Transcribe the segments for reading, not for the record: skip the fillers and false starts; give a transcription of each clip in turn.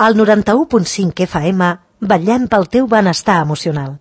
Al 91.5 FM, vetllem pel teu benestar emocional.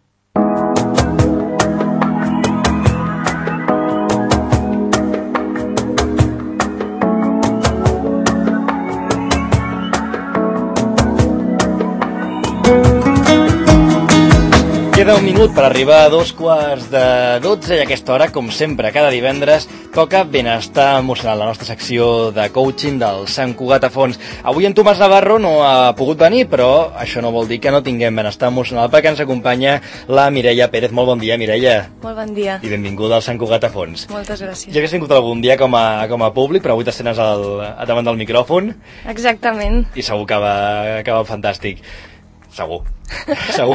Queda un minut per arribar a 11:45 i a aquesta hora, com sempre, cada divendres, toca Benestar Emocional, la nostra secció de coaching del Sant Cugat a Fons. Avui en Tomàs Navarro no ha pogut venir, però això no vol dir que no tinguem Benestar Emocional, perquè ens acompanya la Mireia Pérez. Molt bon dia, Mireia. Molt bon dia. I benvinguda al Sant Cugat a Fons. Moltes gràcies. Ja hagués vingut algun dia com a públic, però avui t'estrenes davant del micròfon. Exactament. I segur que va fantàstic. Segur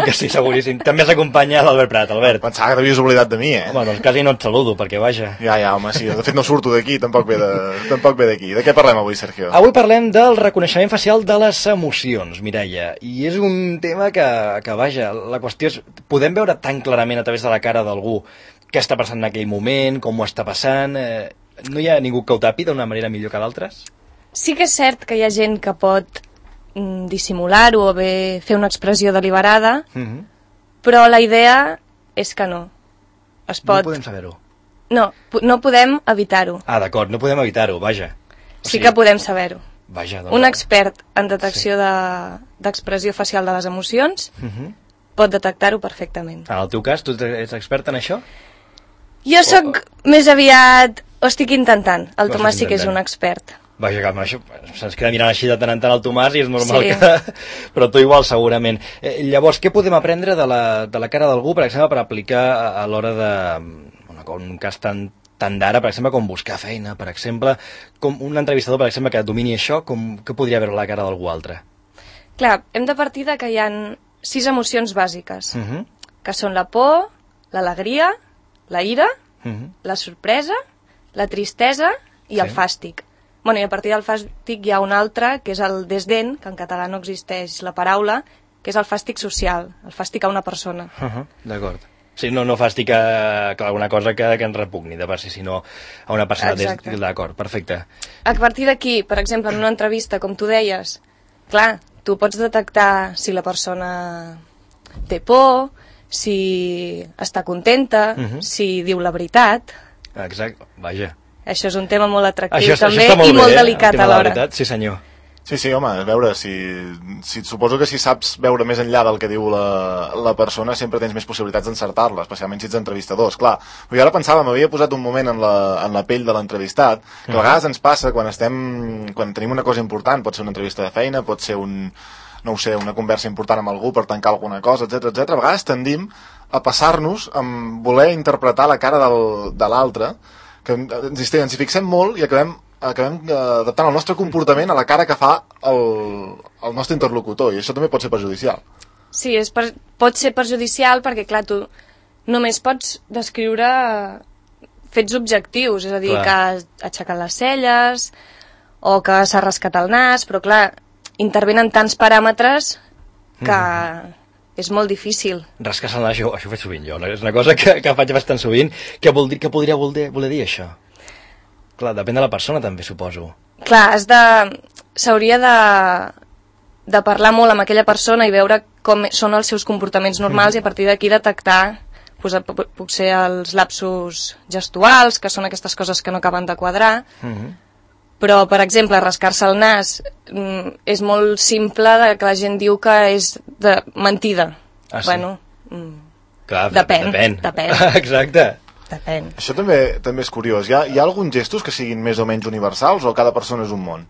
que sí, seguríssim. També s'acompanya l'Albert Prat. Albert. Pensava que t'havies oblidat de mi, Home, doncs quasi no et saludo, perquè vaja. Ja, home, sí. De fet no surto d'aquí, tampoc ve d'aquí. De què parlem avui, Sergio? Avui parlem del reconeixement facial de les emocions, Mireia. I és un tema que vaja, la qüestió és, podem veure tan clarament a través de la cara d'algú què està passant en aquell moment, com ho està passant... No hi ha ningú que ho tapi d'una manera millor que d'altres? Sí que és cert que hi ha gent que pot dissimular-ho o bé fer una expressió deliberada, però la idea és que no. No podem saber-ho. No podem evitar-ho. Ah, d'acord, no podem evitar-ho, vaja. Sí que podem saber-ho. Vaja, doncs... Un expert en detecció d'expressió facial de les emocions pot detectar-ho perfectament. En el teu cas, tu ets expert en això? Jo sóc més aviat... Ho estic intentant. El Tomàs sí que és un expert. Vaja, que això se'ns queda mirant així de tant en tant el Tomàs i és normal que... Però tu igual, segurament. Llavors, què podem aprendre de la cara d'algú, per exemple, per aplicar a l'hora de... un cas tan d'ara, per exemple, com buscar feina, per exemple, com un entrevistador, per exemple, que domini això, què podria veure la cara d'algú altre? Clar, hem de partir que hi ha 6 emocions bàsiques, que són la por, l'alegria, la ira, la sorpresa, la tristesa i el fàstic. Bueno, i a partir del fàstic hi ha un altre, que és el desdent, que en català no existeix la paraula, que és el fàstic social, el fàstic a una persona. D'acord. Sí, no fàstic a alguna cosa que ens repugni de per si, sinó a una persona. D'acord, perfecte. A partir d'aquí, per exemple, en una entrevista, com tu deies, clar, tu pots detectar si la persona té por, si està contenta, si diu la veritat. Exacte, vaja. Això és un tema molt atractiu també i molt delicat alhora. Sí, senyor. Sí, home, a veure, suposo que si saps veure més enllà del que diu la persona sempre tens més possibilitats d'encertar-la, especialment si ets entrevistadors, clar. Però jo ara pensava, m'havia posat un moment en la pell de l'entrevistat, que a vegades ens passa quan tenim una cosa important, pot ser una entrevista de feina, pot ser una conversa important amb algú per tancar alguna cosa, etc. A vegades tendim a passar-nos amb voler interpretar la cara de l'altre, que ens hi fixem molt i acabem adaptant el nostre comportament a la cara que fa el nostre interlocutor, i això també pot ser perjudicial. Sí, pot ser perjudicial perquè, clar, tu només pots descriure fets objectius, és a dir, que ha aixecat les celles o que s'ha rascat el nas, però, clar, intervenen tants paràmetres que és molt difícil. Rascar-se el nas, això ho faig sovint jo, és una cosa que faig bastant sovint. Què podria voler dir això? Clar, depèn de la persona també, suposo. Clar, s'hauria de parlar molt amb aquella persona i veure com són els seus comportaments normals i a partir d'aquí detectar potser els lapsus gestuals, que són aquestes coses que no acaben de quadrar. Però, per exemple, rascar-se el nas és molt simple, que la gent diu que és de mentida. Ah, sí? Bueno, clar, depèn. Exacte. Depèn. Això també és curiós. Hi ha alguns gestos que siguin més o menys universals o cada persona és un món?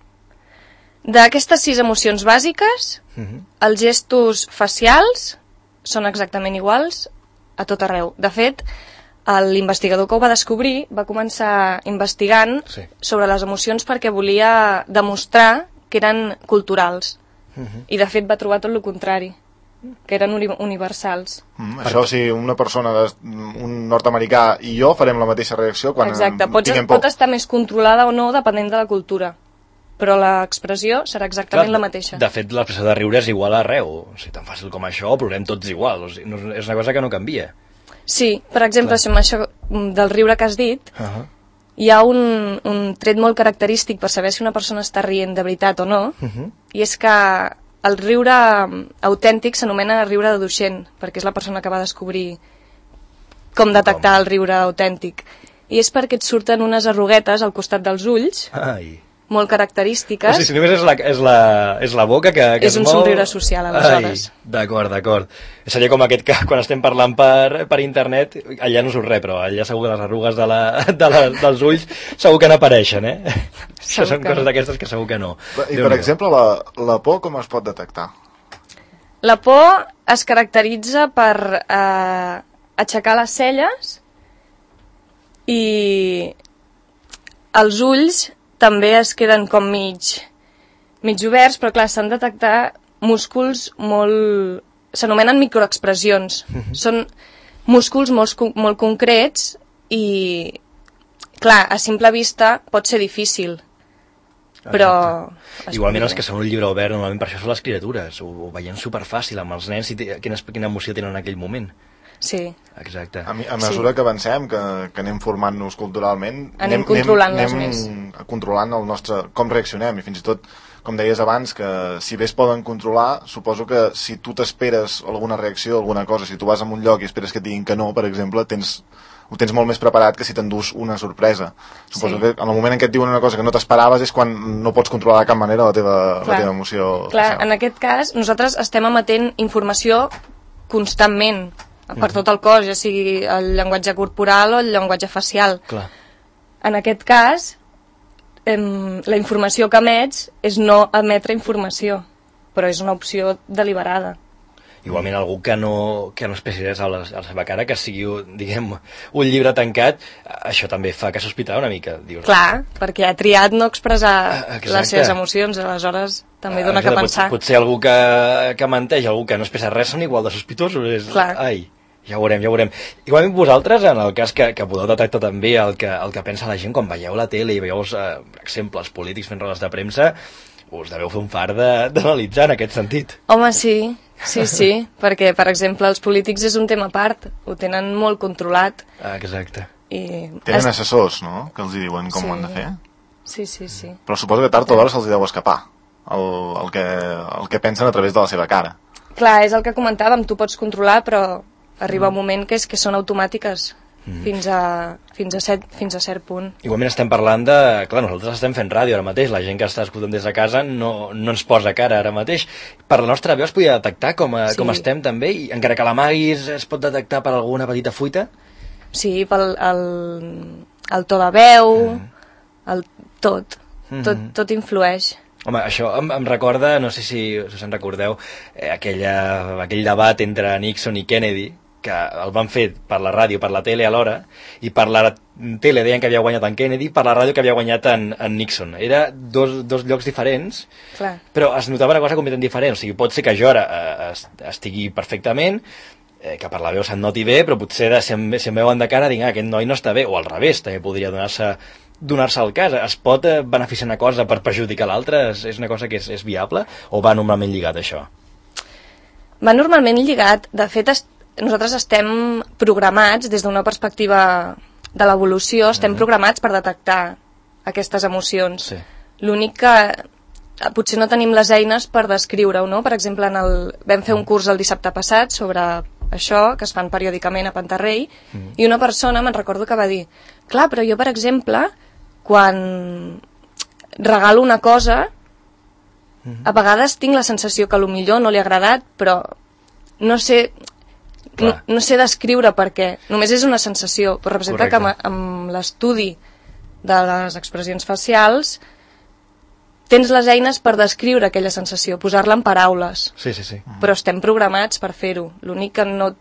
D'aquestes 6 emocions bàsiques, els gestos facials són exactament iguals a tot arreu. De fet, l'investigador que ho va descobrir va començar investigant sobre les emocions perquè volia demostrar que eren culturals. I de fet va trobar tot el contrari, que eren universals. Això, si una persona, un nord-americà i jo farem la mateixa reacció quan tinguem por. Pot estar més controlada o no depenent de la cultura, però l'expressió serà exactament la mateixa. De fet, l'expressió de riure és igual arreu. O sigui, tan fàcil com això, plorem tots igual. O sigui, és una cosa que no canvia. Sí, per exemple, si amb això del riure que has dit, hi ha un tret molt característic per saber si una persona està rient de veritat o no, i és que el riure autèntic s'anomena riure de Duchenne, perquè és la persona que va descobrir com detectar el riure autèntic. I és perquè et surten unes arruguetes al costat dels ulls, molt característiques. O sigui, si només és la boca que és un somriure social, aleshores. D'acord. Seria com aquest que quan estem parlant per internet, allà no surt res, però allà segur que les arrugues dels ulls segur que n'apareixen, Això són coses d'aquestes que segur que no. I, per exemple, la por com es pot detectar? La por es caracteritza per aixecar les celles i els ulls també es queden com mig oberts, però clar, s'han de detectar músculs molt... s'anomenen microexpressions. Són músculs molt concrets i, clar, a simple vista pot ser difícil, però... Igualment els que són un llibre obert, normalment per això són les criatures, ho veiem superfàcil amb els nens, quina emoció tenen en aquell moment. Sí. Exacte. A mesura que avancem, que anem formant-nos culturalment, anem controlant el nostre... com reaccionem, i fins i tot, com deies abans, que si bé es poden controlar, suposo que si tu t'esperes alguna reacció, alguna cosa, si tu vas a un lloc i esperes que et diguin que no, per exemple, ho tens molt més preparat que si t'endús una sorpresa. Suposo que en el moment en què et diuen una cosa que no t'esperaves és quan no pots controlar de cap manera la teva emoció. Clar, en aquest cas, nosaltres estem emetent informació constantment, per tot el cos, ja sigui el llenguatge corporal o el llenguatge facial. Clar. En aquest cas, la informació que emets és no emetre informació, però és una opció deliberada. Igualment algú que no expressi res a la seva cara, que sigui, diguem, un llibre tancat, això també fa que sospitar una mica. Dius, clar, perquè ha triat no expressar les seves emocions, aleshores també dona que pensar. Potser algú que menteix, algú que no expressa res, són igual de sospitosos. Clar. Ai, ja ho veurem. Igualment vosaltres, en el cas que podeu detectar també el que pensa la gent quan veieu la tele i veieu, per exemple, els polítics fent rodes de premsa, us deveu fer un fart d'analitzar en aquest sentit. Home, sí, perquè, per exemple, els polítics és un tema a part, ho tenen molt controlat. Exacte. Tenen assessors, no?, que els diuen com ho han de fer. Sí. Però suposo que tard o d'hora se'ls deu escapar el que pensen a través de la seva cara. Clar, és el que comentàvem, tu pots controlar, però arriba un moment que són automàtiques. Fins a cert punt. Igualment estem parlant de... Clar, nosaltres estem fent ràdio ara mateix, la gent que està escoltant des de casa no ens posa cara ara mateix. Per la nostra veu es podia detectar com estem també, i encara que l'amaguis es pot detectar per alguna petita fuita? Sí, pel el to de veu, tot influeix. Home, això em recorda, no sé si us en recordeu, aquell debat entre Nixon i Kennedy, que el van fer per la ràdio, per la tele alhora, i per la tele deien que havia guanyat en Kennedy, per la ràdio que havia guanyat en Nixon. Era dos llocs diferents, clar, però es notava una cosa completament diferent. O sigui, pot ser que jo ara estigui perfectament, que per la veu se'n noti bé, però potser si em veuen de cara dic, aquest noi no està bé, o al revés, també podria donar-se el cas. Es pot beneficiar una cosa per perjudicar l'altra? És una cosa que és viable, o va normalment lligat això? Va normalment lligat. De fet, nosaltres estem programats, des d'una perspectiva de l'evolució, estem programats per detectar aquestes emocions. Sí. L'únic que potser no tenim les eines per descriure-ho, no? Per exemple, vam fer un curs el dissabte passat sobre això, que es fan periòdicament a Pantarrei, i una persona, me'n recordo que va dir, clar, però jo, per exemple, quan regalo una cosa, a vegades tinc la sensació que potser no li ha agradat, però no sé descriure per què. Només és una sensació, però representa que amb l'estudi de les expressions facials tens les eines per descriure aquella sensació, posar-la en paraules. Sí. Però estem programats per fer-ho. L'únic que no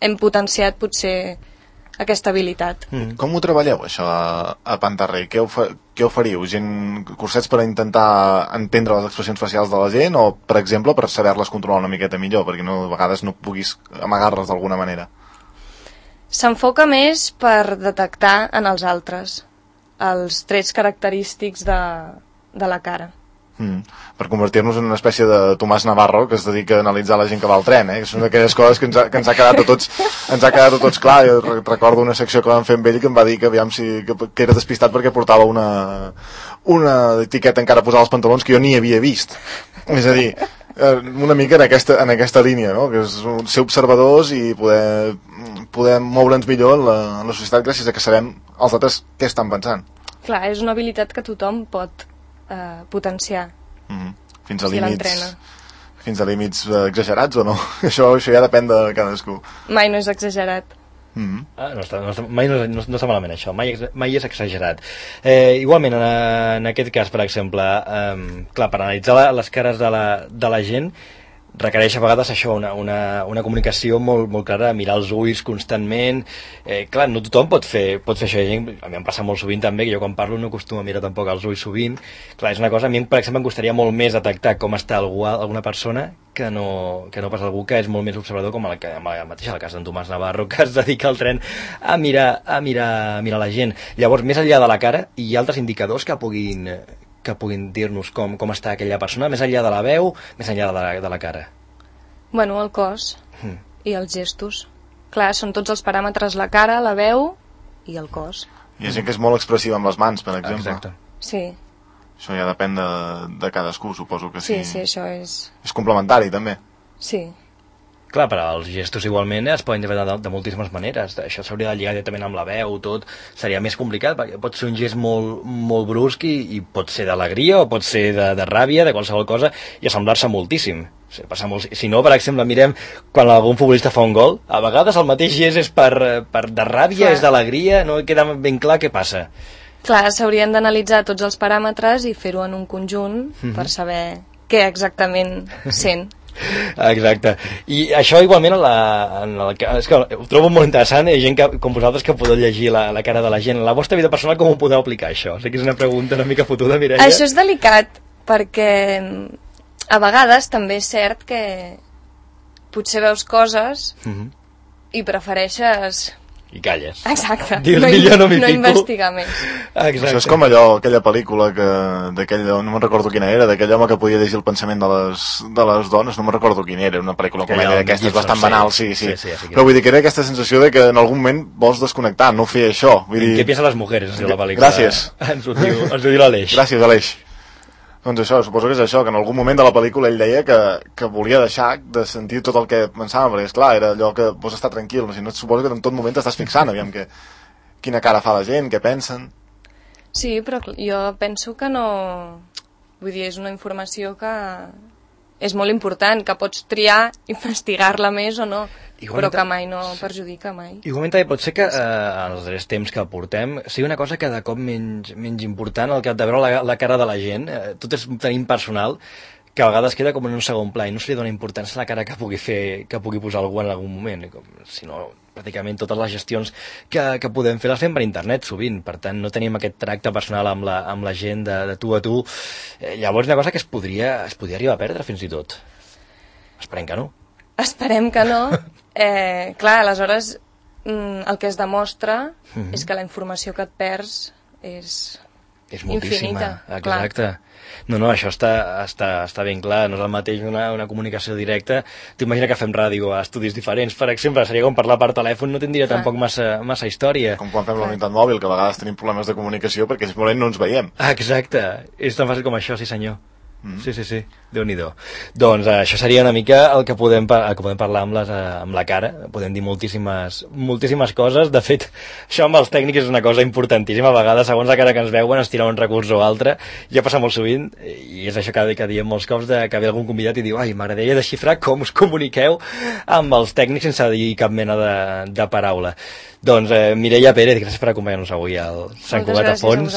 hem potenciat potser aquesta habilitat. Com ho treballeu, això, a Pantarrei? Què oferiu? Cursets per intentar entendre les expressions facials de la gent, o, per exemple, per saber-les controlar una miqueta millor, perquè a vegades no puguis amagar-les d'alguna manera? S'enfoca més per detectar en els altres els trets característics de la cara. Per convertir-nos en una espècie de Tomàs Navarro que es dedica a analitzar la gent que va al tren, que són aquelles coses que ens ha quedat a tots clar. Jo recordo una secció que vam fer amb ell que em va dir que que era despistat perquè portava una etiqueta encara posada als pantalons que jo ni havia vist. És a dir, una mica en aquesta línia, no? Que és ser observadors i poder moure'ns millor en la societat gràcies a que sabem els altres què estan pensant. Clar, és una habilitat que tothom pot potenciar. Fins a si l'entrena. Fins a límits exagerats o no? Això ja depèn de cadascú. Mai no és exagerat. Mai no està malament això, mai és exagerat. Igualment en aquest cas, per exemple, clar, per analitzar les cares de la gent requereix a vegades això, una comunicació molt clara, mirar els ulls constantment. Clar, no tothom pot fer això. A mi em passa molt sovint també, que jo quan parlo no acostumo a mirar tampoc els ulls sovint. Clar, és una cosa, a mi per exemple em costaria molt més detectar com està alguna persona que no pas algú que és molt més observador, com mateix el cas d'en Tomàs Navarro, que es dedica al tren a mirar la gent. Llavors, més enllà de la cara, hi ha altres indicadors que puguin dir-nos com està aquella persona, més enllà de la veu, més enllà de la cara. Bueno, el cos i els gestos. Clar, són tots els paràmetres, la cara, la veu i el cos. Hi ha gent que és molt expressiva amb les mans, per exemple. Exacte. Sí. Això ja depèn de cadascú, suposo que sí. Sí, això és... És complementari, també. Sí. Clar, però els gestos igualment es poden interpretar de moltíssimes maneres. Això s'hauria de lligar directament amb la veu, tot. Seria més complicat, perquè pot ser un gest molt brusc i pot ser d'alegria o pot ser de ràbia, de qualsevol cosa, i assemblar-se moltíssim. Si no, per exemple, mirem quan algun futbolista fa un gol, a vegades el mateix gest és de ràbia, clar, és d'alegria, no queda ben clar què passa. Clar, s'haurien d'analitzar tots els paràmetres i fer-ho en un conjunt per saber què exactament sent. Exacte. I això igualment és que ho trobo molt interessant, hi ha gent com vosaltres que podeu llegir la cara de la gent. La vostra vida personal com ho podeu aplicar, això? Sé que és una pregunta una mica fotuda, Mireia. Això és delicat, perquè a vegades també és cert que potser veus coses i prefereixes... I calles. Exacte. No investigar més. Exacte. Això és com aquella pel·lícula d'aquell, no me'n recordo quina era, d'aquell home que podia llegir el pensament de les dones, no me'n recordo quina era, una pel·lícula comèdia d'aquestes bastant banal, sí. Però vull dir que era aquesta sensació de que en algun moment vols desconnectar, no fer això. Vull dir... Què piensen les mujeres, la pel·lícula? Gràcies. Ens ho diu l'Aleix. Gràcies, Aleix. Doncs això, suposo que és això, que en algun moment de la pel·lícula ell deia que volia deixar de sentir tot el que pensava, perquè esclar, era allò que vols estar tranquil, no? Si no, suposo que en tot moment t'estàs fixant, aviam quina cara fa la gent, què pensen. Sí, però jo penso que no... Vull dir, és una informació que és molt important, que pots triar, investigar-la més o no, però que mai no perjudica mai. Igualment també pot ser que en els darrers temps que portem sigui una cosa cada cop menys important, el que de veure la cara de la gent, tot és tan impersonal que a vegades queda com en un segon pla i no se li dona importància a la cara que pugui posar algú en algun moment, sinó pràcticament totes les gestions que podem fer les fem per internet sovint, per tant no tenim aquest tracte personal amb la gent de tu a tu. Llavors una cosa que es podria arribar a perdre fins i tot. Esperem que no. Esperem que no. Clar, aleshores el que es demostra és que la informació que et perds és moltíssima. Exacte. Clar. No, això està ben clar, no és el mateix una comunicació directa. T'imagina que fem ràdio a estudis diferents, per exemple, seria com parlar per telèfon, no tindria tampoc massa història. Com quan fem la unitat mòbil, que a vegades tenim problemes de comunicació perquè simplement no ens veiem. Exacte, és tan fàcil com això, sí senyor. Sí, Déu-n'hi-do. Doncs això seria una mica el que podem parlar amb la cara. Podem dir moltíssimes coses. De fet, això amb els tècnics és una cosa importantíssima. A vegades, segons la cara que ens veuen, es tira un recurs o altre. Ja passa molt sovint, i és això que diem molts cops, que ve algun convidat i diu m'agradaria desxifrar com us comuniqueu amb els tècnics sense dir cap mena de paraula. Doncs Mireia Pérez, gràcies per acompanyar-nos avui al Sant Cugat a Fons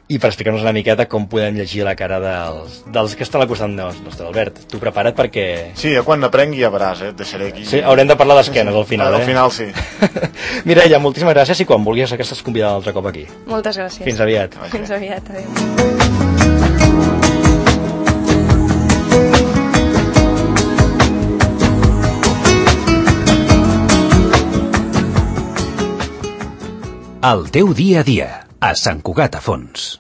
i per explicar-nos una miqueta com podem llegir la cara dels que estan al costat nostre. Albert, tu prepara't perquè... Sí, quan aprengui ja veràs, et deixaré aquí. Sí, haurem de parlar d'esquenes al final. Al final sí. Mireia, moltíssimes gràcies i quan vulguis que estàs convidada un altre cop aquí. Moltes gràcies. Fins aviat. Fins aviat, adéu. El teu dia a dia, a Sant Cugat a Fons.